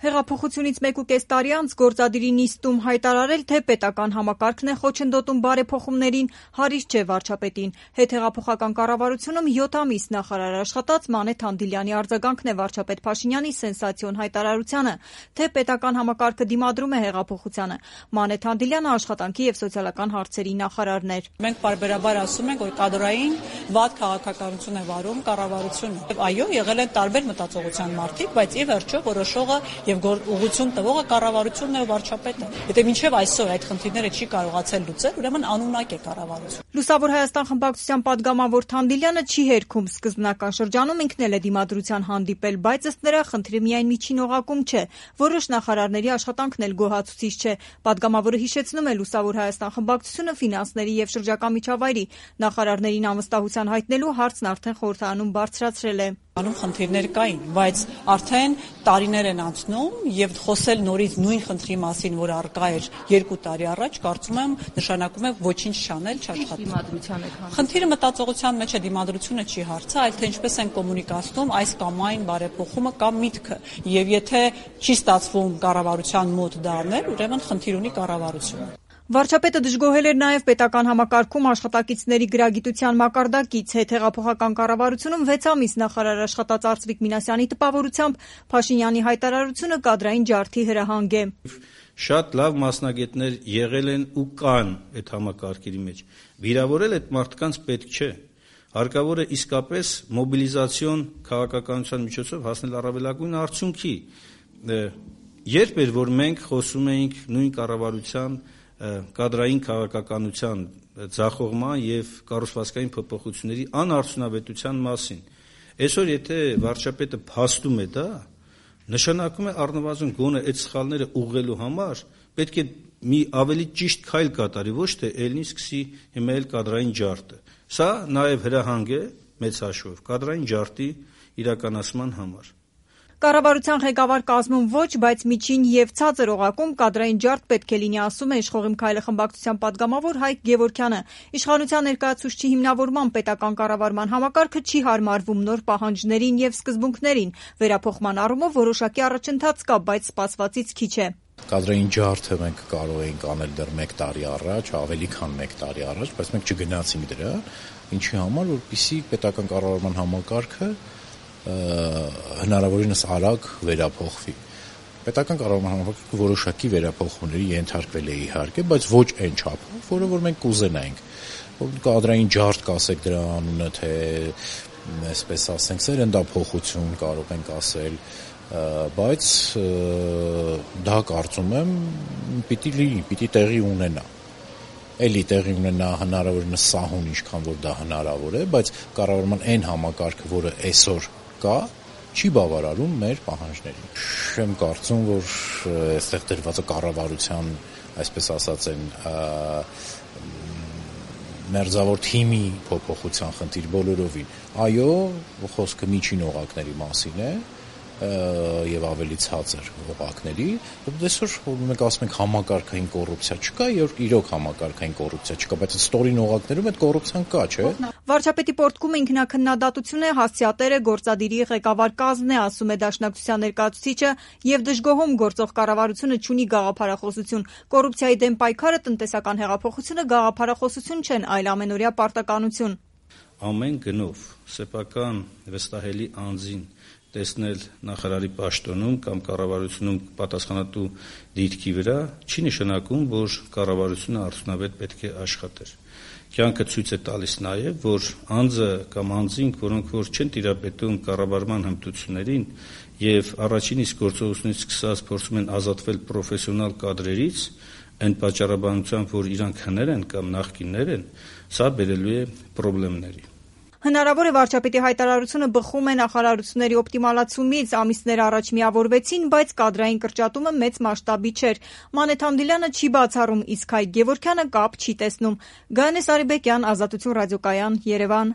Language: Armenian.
Հեղափոխությունից 1.5 տարի անց գործադիրի նիստում հայտարարել, թե պետական համակարգն է խոչընդոտում բարեփոխումներին, հարիստ չէ վարչապետին։ Հետհեղափոխական կառավարությունում 7 ամիս նախարար աշխատած Մանե Թանդիլյանի արձագանքն է վարչապետ Փաշինյանի սենսացիոն հայտարարությանը, թե պետական համակարգը դիմադրում է հեղափոխությանը։ Մանե Թանդիլյանը աշխատանքի եւ սոցիալական հարցերի նախարարն էր։ Մենք պարբերաբար ասում ենք, որ կադրային վատ քաղաքականություն է վարում կառավարությունը։ Եվ այո, եղել են տարբեր մտածողության մարդիկ, բայց ի վերջո որոշողը եւ ուղղություն տվողը կառավարությունն է ու վարչապետը։ Եթե մինչեւ այսօր այդ խնդիրները չի կարողացել լուծել, ուրեմն անունակ է կառավարությունը։ Լուսավոր Հայաստան խմբակցության падգամավոր Թանդիլյանը չի հերքում սկզբնական շրջանում ինքն էլ է դիմադրության հանդիպել, բայց ըստ նրա խնդիրը միայն միջին օղակում չէ։ Որոշ նախարարների աշխատանքն էլ գոհացուցիչ չէ։ Падգամավորը հիշեցնում է Լուսավոր Հայաստան խմբակցությունը ֆինանսների եւ շրջակա միջավայրի նախարարներին անվստահության հայտնելու հարցն արդեն խորհրդարանում բարձրացրել է։ Անում խնդիրներ կային, բայց արդեն տարիներ են անցնում եւ խոսել նորից նույն խնդրի մասին, որ առկա էր 2 տարի առաջ, կարծում եմ նշանակում է ոչինչ չանել, չաշխատել։ Խնդիրը մտածողության մեջ է, դիմադրությունը չի հարցը, այլ թե ինչպես են կոմունիկացնում այս կամ այն բարեփոխումը կամ միտքը։ Եվ եթե չի ստացվում կառավարության մոտ դա անել, ուրեմն խնդիր ունի կառավարությունը։ Վարչապետը դժգոհել էր նաև պետական համակարգում աշխատակիցների գրագիտության մակարդակից։ Հետհեղափոխական կառավարությունում 6 ամիս նախարար աշխատած Արծվիկ Մինասյանի տպավորությամբ Փաշինյանի հայտարարությունը կադրային ջարդի հրահանգ է։ Շատ լավ մասնագետներ եղել են ու կան այդ համակարգերի մեջ։ Վիրավորել այդ մարդկանց պետք չէ։ Հարկավոր է իսկապես մոբիլիզացիոն քաղաքականության միջոցով հասնել առավելագույն արդյունքի։ Երբ էր որ մենք խոսում էինք նույն կառավարության կադրային քաղաքականության ձախողման եւ կառուցվածքային փոփոխությունների անարդյունավետության մասին։ Այսօր եթե վարչապետը փաստում է դա, նշանակում է առնվազն գոնե այդ սխալները ուղղելու համար պետք է մի ավելի ճիշտ քայլ կատարի, ոչ թե ելնի սկսի հիմա էլ կադրային ջարդը։ Սա նաեւ հրահանգ է մեծ հաշվով կադրային ջարդի իրականացման համար։ Կառավարության ղեկավար կազմում ոչ, բայց միջին եւ ցածր օղակում կադրային ջարդ պետք է լինի, ասում է Իշխող իմ քայլը խմբակցության падգամավոր Հայկ Գևորգյանը։ Իշխանության ներկայացուցչի հիմնավորման պետական կառավարման համակարգը չի հարմարվում նոր պահանջներին եւ սկզբունքներին։ Վերափոխման առումով որոշակի առաջընթաց կա, բայց սպասվածից քիչ է։ Կադրային ջարդը մենք կարող էինք անել դեռ 1 տարի առաջ, ավելի քան 1 տարի առաջ, բայց մենք չգնացինք դրա, ինչի համար, որպեսզի պետական կառավարման համակարգը հնարավորինս արագ վերափոխվի։ Պետական կառավարման համակարգը որոշակի վերափոխումների ենթարկվել է իհարկե, բայց ոչ այն չափով, որը որ մենք կուզենայինք։ Կադրային ջարդ կասեք դրա անունը, թե այսպես ասենք, սերնդափոխություն կարող ենք ասել, բայց դա կարծում եմ պիտի լինի, պիտի տեղի ունենա։ Էլի տեղի ունենա հնարավորինս սահուն, ինչքան որ դա հնարավոր է, բայց կառավարման այն համակարգը, որը այսօր կա, չի բավարարում մեր պահանջներին։ Չեմ կարծում, որ այստեղ դրված է կառավարության, այսպես ասած են, մերձավոր թիմի փոփոխության խնդիր բոլորովին։ Այո, խոսքը միջին օղակների մասին է եւ ավելի ցածր օղակների, այսօր մենք ասում ենք համակարգային կոռուպցիա չկա, եւ իրոք համակարգային կոռուպցիա չկա, բայց ստորին օղակներում այդ կոռուպցիան կա, չէ՞։ Վարչապետի պորտկումը ինքնաքննադատություն է, հասցեատերը գործադիրի ղեկավար կազմն է, ասում է Դաշնակցության ներկայացուցիչը, եւ դժգոհում գործող կառավարությունը չունի գաղափարախոսություն։ Կոռուպցիայի դեմ պայքարը, տնտեսական հեղափոխությունը գաղափարախոսություն չեն, այլ ամենօրյա պարտականություն։ Ամեն գնով սեփական վստահելի անձին տեսնել նախարարի պաշտոնում կամ կառավարությունում պատասխանատու դիրքի վրա չի նշանակում, որ կառավարությունը արդյունավետ պետք է աշխատեր։ Կյանքը ցույց է տալիս նաև, որ անձը կամ անձինք, որոնք որ չեն տիրապետում կառավարման հմտություններին եւ առաջին իսկ գործողությունից սկսած փորձում են ազատվել պրոֆեսիոնալ կադրերից, այն պատճառաբանությամբ, որ իրանք հներ են կամ նախկիններ են, սա բերելու է խնդիրների։ Հնարավոր է վարչապետի հայտարարությունը բխում է նախարարությունների օպտիմալացումից, ամիսներ առաջ միավորվեցին, բայց կադրային կրճատումը մեծ մասշտաբի չէր։ Մանե Թանդիլյանը չի բացառում, իսկ Հայկ Գևորգյանը կապ չի տեսնում։ Գայանե Սարիբեկյան, Ազատություն ռադիոկայան, Երևան։